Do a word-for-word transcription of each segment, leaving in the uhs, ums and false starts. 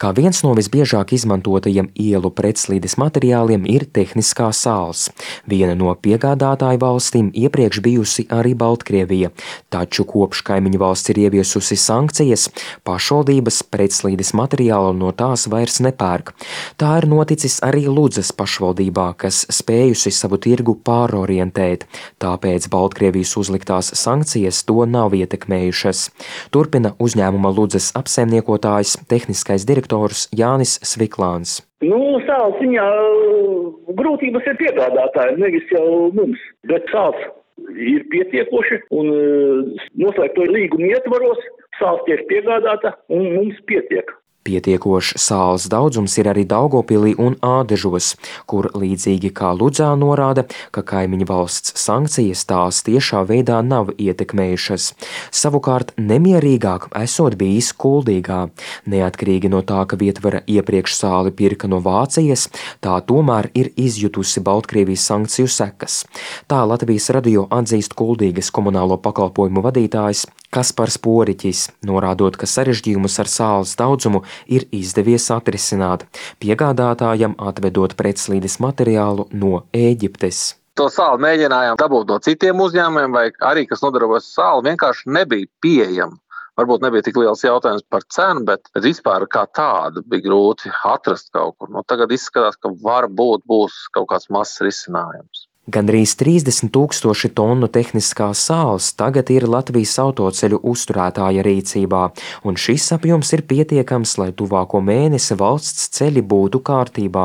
Kā viens no visbiežāk izmantotajiem ielu pretslīdes materiāliem ir tehniskā sāls. Viena no piegādātāju valstīm iepriekš bijusi arī Baltkrievija, taču kopš kaimiņu valsts ir ieviesusi sankcijas, pašvaldības pretslīdes materiālu no tās vairs nepērk. Tā ir noticis arī Ludzas pašvaldībā, kas spējusi savu tirgu pārorientēt, tāpēc Baltkrievijas uzliktās sankcijas to nav ietekmējušas. Turpina uzņēmuma Ludzas apsaimniekotājs, tehniskais direktors Jānis Sviklāns. Nu, sāls ziņā grūtības ir piegādātāji, nevis jau mums, bet sāls ir pietiekoši un noslēgto līgumu ietvaros sāls tiek piegādāta un mums pietiek. Pietiekošs sāls daudzums ir arī Daugavpilī un Ādežos, kur līdzīgi kā Ludzā norāda, ka kaimiņu valsts sankcijas tās tiešā veidā nav ietekmējušas. Savukārt nemierīgāk esot bijis Kuldīgā. Neatkarīgi no tā, ka vietvara iepriekš sāli pirka no Vācijas, tā tomēr ir izjutusi Baltkrievijas sankciju sekas. Tā Latvijas radio atzīst Kuldīgas komunālo pakalpojumu vadītājs Kaspars Poriķis, norādot, ka sarežģījumus ar sāles daudzumu ir izdevies atrisināt, piegādātājam atvedot pretslīdes materiālu no Ēģiptes. To sāli mēģinājām dabūt no citiem uzņēmumiem, vai arī, kas nodarbojas ar sāli, vienkārši nebija pieejama. Varbūt nebija tik liels jautājums par cenu, bet vispār kā tādu bija grūti atrast kaut kur. Nu, tagad izskatās, ka varbūt būs kaut kāds mazs risinājums. Gandrīz trīsdesmit tūkstoši tonu tehniskās sāls tagad ir Latvijas autoceļu uzturētāja rīcībā, un šis apjoms ir pietiekams, lai tuvāko mēnesi valsts ceļi būtu kārtībā.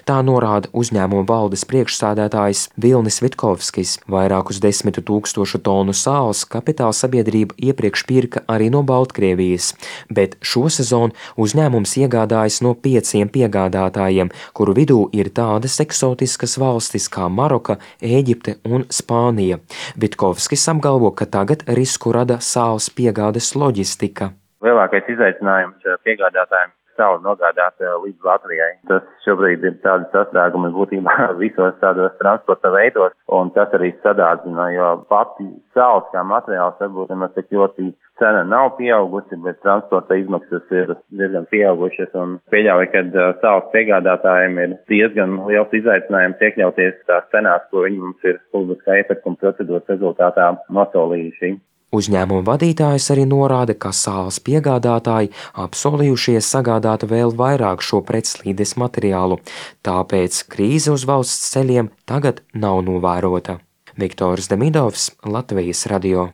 Tā norāda uzņēmuma valdes priekšsēdētājs Vilnis Vitkovskis. Vairākus desmitu tūkstošu tonu sāls kapitāla sabiedrība iepriekš pirka arī no Baltkrievijas, bet šo sezonu uzņēmums iegādājas no pieciem piegādātājiem, kuru vidū ir tādas eksotiskas valstis kā Maroka, Ēģipte un Spānija. Vitkovskis apgalvo, ka tagad risku rada sāls piegādes loģistika. Lielākais izaicinājums piegādātājiem sāli nogādāt līdz Latvijai. Tas šobrīd ir tādi sastrēgumi būtībā visos tādos transporta veidos, un tas arī sadārdzina, jo pati sāls kā materiāls varbūt nemaz tik ļoti cena nav pieaugusi, bet transporta izmaksas ir diezgan pieaugušas, un pieļauju, ka sāls piegādātājiem ir diezgan liels izaicinājums iekļauties tās cenās, ko viņi mums ir publiskā iepirkuma procedūras rezultātā nosolījuši. Uzņēmuma vadītājs arī norāda, ka sāls piegādātāji apsolījušies sagādāt vēl vairāk šo pretslīdes materiālu, tāpēc krīze uz valsts ceļiem tagad nav novērota. Viktors Demidovs, Latvijas radio.